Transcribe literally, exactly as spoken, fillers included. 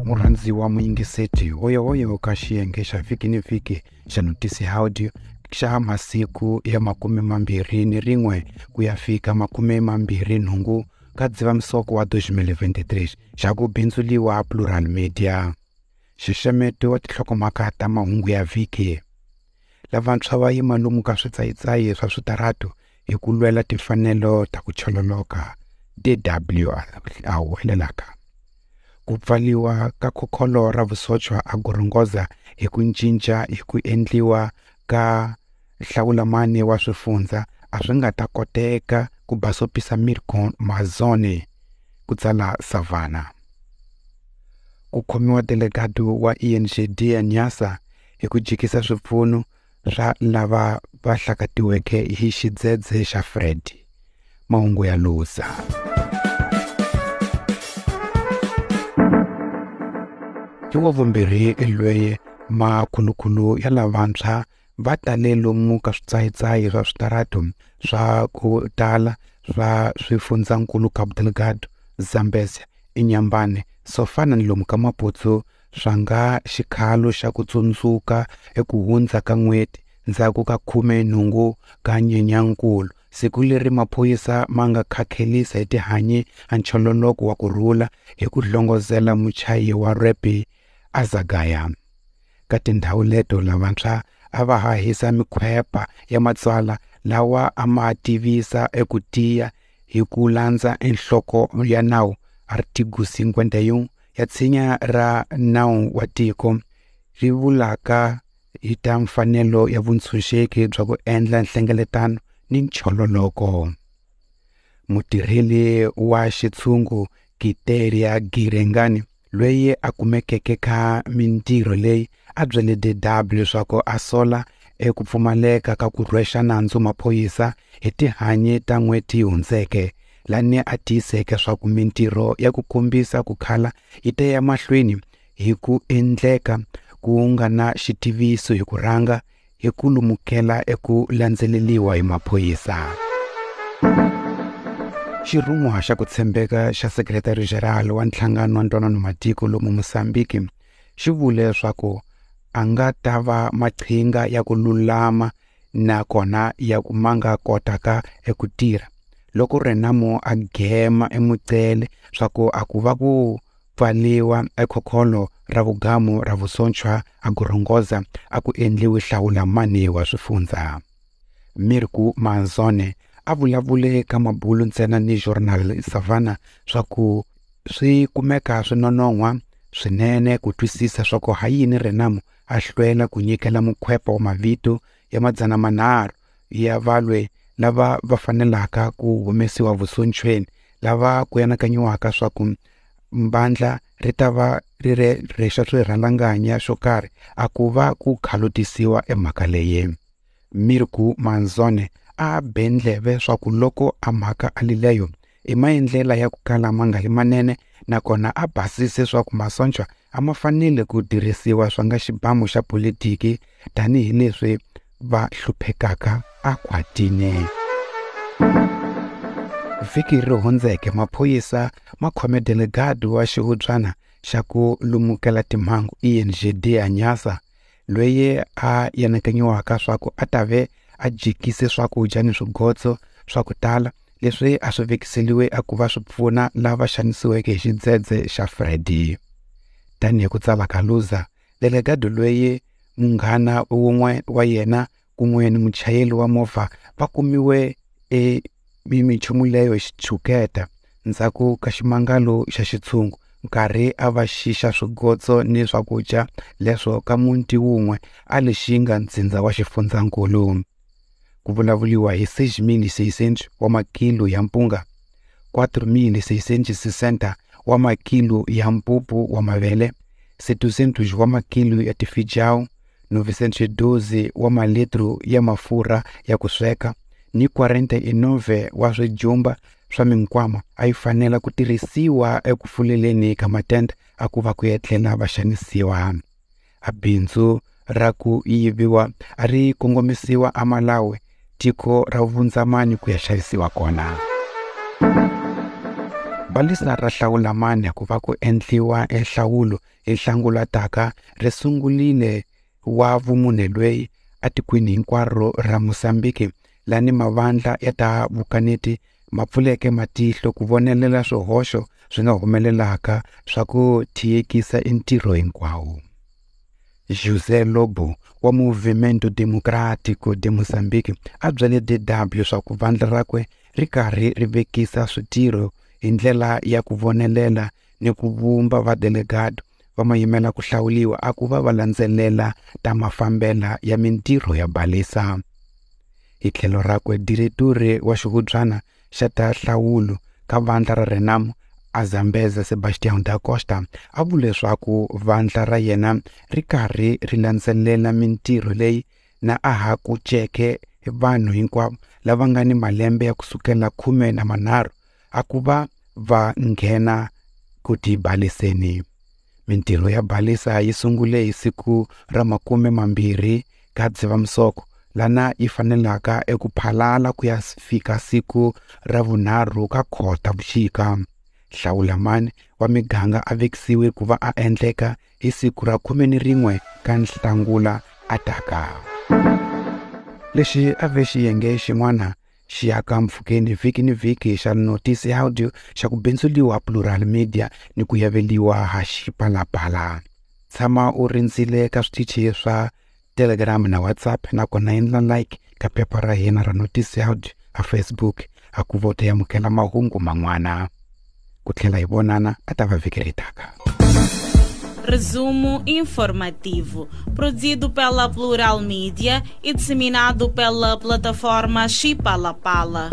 Murhandziwa muyingiseti hoyohoyo ka xiyenge xa vhiki ni vhiki xa Notisi Audio xa masiku ya makume mambirhi ni rin'we ku ya fika makume mambirhi nhungu ka Dzivamisoko wa twenty twenty-three xa ku bindzuliwa Plural Media. Xixemeto wa tinhlokomhaka ta mahungu ya vhiki. Lavantshwa va yima lomu ka switsayitsayi swa switaratu hi ku lwela timfanelo ta ku chololoka D W a huwelelaka. Ku pfaliwa ka khokholo ra vusochwa a Gorongosa hi ku cinca hi ku endliwa ka hlawulamani wa swifundza a swi nga ta koteka ku basopisa Mirko Mazzone, ku tsala Savannah. Ku khomiwa delegado wa E N G D ya Nyasa hi ku jikisa swipfuno swa lava va hlakatiweke hi xidzedze xa Fred. Mahungu ya Lusa. Hi wa vumbirhi lweyi makhulukhulu ya lavantshwa va tale lomu ka switsayitsayi swa switaratu swa ku tala swa swifundzankulu Cabo Delgado, Zambezia, Inhambane, Sofana ni lomu ka Maputo swa nga xikhalo xa ku tsundzuka eku hundza ka n'hweti ndzhaku ka khume nhungu ka Nyenyankulu, siku leri maphorisa ma nga khakhelisa hi tihanyi a nchololoko wa ku rhula hi ku hlongozela muchayi wa rap Azagaya. Ka tindhawu leto lavantshwa a va hahisa mikhwepa ya matsalwa lawa a ma tivisa eku tiya hi ku landza enhloko ya nawu Artigo cinquenta e um ya tshinya ra nawu wa tiko ri vulaka hi ta mfanelo ya vuntshunxeki bya ku endla nhlengeletano ni nchololoko. Mutirheli wa xitshungu Kiteria Girengani loyi a kumekeke ka mintirho leyi a byele D W leswaku a sola eku pfumaleka ka ku rhwexa nandzu maphorisa hi tihanyi ta n'hweti yi hundzeke, lani a tiyiseke swa ku mintirho ya ku kombisa ku khala yi ta ya mahlweni hi ku endleka ku nga na xitiviso hi ku rhanga hi ku lumukela eku landzeleriwa hi maphorisa. Xirhun'wa xa ku tshembeka xa Secretary General wa Nhlangano wa Ntwanano Matiko lomu Mozambique xi vule leswaku a nga ta va maqhinga ya ku lulama nakona ya ku ma nga kotaka eku tirha loko Renamo a gema emucele swa ku a ku va ku pfaliwa ekhokholo ra vugamu ra vusochwa a Gorongosa a ku endliwi hlawulamani wa swifundza. Mirko Mazzone a vulavule ka mabulu ntsena ni Journal Savannah swa ku swi kumeka swi nonon'hwa swinene ku twisisa swa ku ha yini Renamo a hlwela ku nyikela mukhwepa wa mavito ya madzana manharhu ya valwe lava va fanelaka ku humesiwa vusochweni lava ku anakanyiwaka swa ku mbandla ri ta va ri re rexa swirhalanganya swo karhi a ku va ku khalutisiwa emhaka leyi. Mirko Mazzone a be ndleve swa ku loko a mhaka a lileyo i maendlela ya ku kala ma nga li manene nakona a basise swa ku masochwa a ma fanele ku tirhisiwa swa nga xibamu xa politiki tanihileswi va hluphekaka a khwatini. Vhiki ri hundzeke maphorisa ma khome delegado wa xihubyana xa ku lumukela timhangu E N G D ya Nyasa loyi a anakanyiwaka swa ku a ta ve a jikise swakudya ni swigotso swa ku tala leswi a swi vekiseliwe a ku va swi pfuna lava xanisiweke hi xidzedze xa Freddy. Tanihi ku tsala ka Luza, delegado loyi munghana wun'we wa yena kun'we ni muchayeri wa movha va kumiwe e minchumu leyo hi xitshuketa ndzhaku ka ximangalo xa xitshungu nkarhi a va xixa swigotso ni swakudya leswo ka muti wun'we a Lixinga ntsindza wa xifundzankulu. Ku vulavuriwa hi seis mil seiscentos wa makilo ya mpunga, quatro mil seiscentos sessenta wa makilo ya mpupu wa mavele, setecentos wa makilo ya tifijao, novecentos doze wa malitro ya mafurha ya ku sweka ni quarenta e nove wa swijumba swa minkwama a yi fanela ku tirhisiwa eku fuleleni ka matende a ku va ku etlela va xanisiwa. A bindzu ra ku yiviwa a ri kongomisiwa a Malawi, tiko ra vundzamani ku ya xavisiwa kona. Balisa ra hlawulamani ku va ku endliwa enhlawulo hi Nhlangula taka ri sungulile wa vumune lweyi atikweni hinkwaro ra Mozambique lani mavandla ya ta vukaneti ma pfuleke matihlo ku vonelela swihoxo swi nga humelelaka swa ku tiyekisa entirho hinkwawo. José Lobo wa Movimento Democrático de Moçambique a byele D W swa ku vandla rakwe ri karhi ri vekisa switirho hi ndlela ya ku vonelela ni ku vumba vadelegado va mayimela ku hlawuliwa a ku va va landzelela ta mafambela ya mintirho ya balisa. Hi tlhelo rakwe diretori wa xihubyana xa ta nhlawulo ka vandla ra Renamo Azambeza Sebastião da Costa a vule leswaku vandla ra yena ri karhi ri landzelela mintirho leyi na a ha ku ceke vanhu hinkwavo lava nga ni malembe ya kusukela khume na manharhu a ku va va nghena ku tibaliseni. Mintirho ya balisa yi sungule hi siku ra makume mambirhi ka Dzivamisoko lana yi fanelaka eku phalala ku ya fika siku ra vunharhu ka Khotavuxika. Hlawulamani wa miganga a vekisiwe ku va a endleka hi siku ra khume ni rin'we ka Nhlangula ataka. Lexi a ve xiyenge xin'wana xi ya ka mpfhukeni vhiki ni vhiki xa Notice Audio xa ku bindzuliwa Plural Media ni ku yaveliwa ha Xipalapala. Tshama u rindzile ka switichi swa Telegram na WhatsApp nakona endla like ka phepha ra hina ra Notice Audio a Facebook a ku vote amukela mahungu man'wana. Ku tlhela hi vonana a ta va vhiki ri taka. Resumo informativo, produzido pela Plural Media e disseminado pela plataforma Xipalapala.